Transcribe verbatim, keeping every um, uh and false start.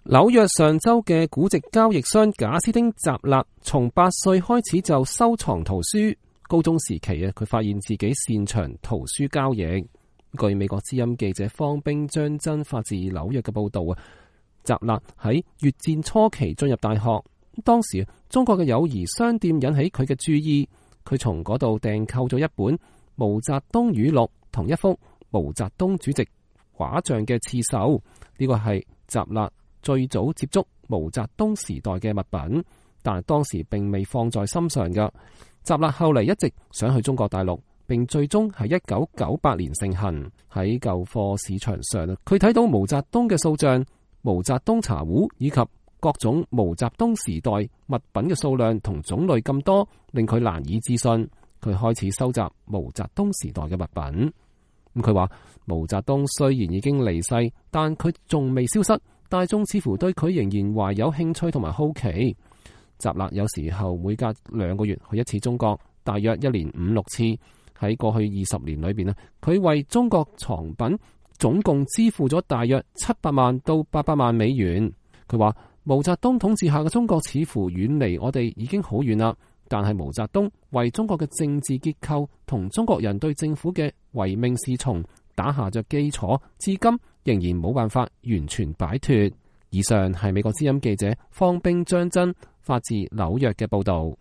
紐約上州嘅古籍交易商賈斯汀·扎勒從八歲開始就收藏圖書。高中時期啊，佢發現自己擅長圖書交易。據美國之音記者方冰張真發自紐約嘅報道啊，扎勒喺越戰初期進入大學，當時中國嘅友誼商店引起佢嘅注意，佢從嗰度訂購咗一本毛澤東語錄同一幅毛澤東主席畫像嘅刺繡。呢個係扎勒最早接觸毛澤東時代嘅物品，但係當時並未放在心上嘅。扎勒後嚟一直想去中國大陸，並最終係一九九八年盛行。喺舊貨市場上，佢睇到毛澤東嘅塑像、毛澤東茶壺以及各種毛澤東時代物品嘅數量同種類咁多，令佢難以置信。佢開始收集毛澤東時代嘅物品。咁佢話毛澤東雖然已經離世，但佢仲未消失。大眾似乎對佢仍然懷有興趣同埋好奇。扎勒有時候每隔兩個月去一次中國，大約一年五六次。喺過去二十年裏邊咧，佢為中國藏品總共支付咗大約七百萬到八百萬美元。佢話毛澤東統治下嘅中國似乎遠離我哋已經好遠啦，但係毛澤東為中國嘅政治結構同中國人對政府嘅唯命是從打下着基礎，至今仍然冇辦法完全擺脫。以上係美國之音記者方冰張真發自紐約嘅報道。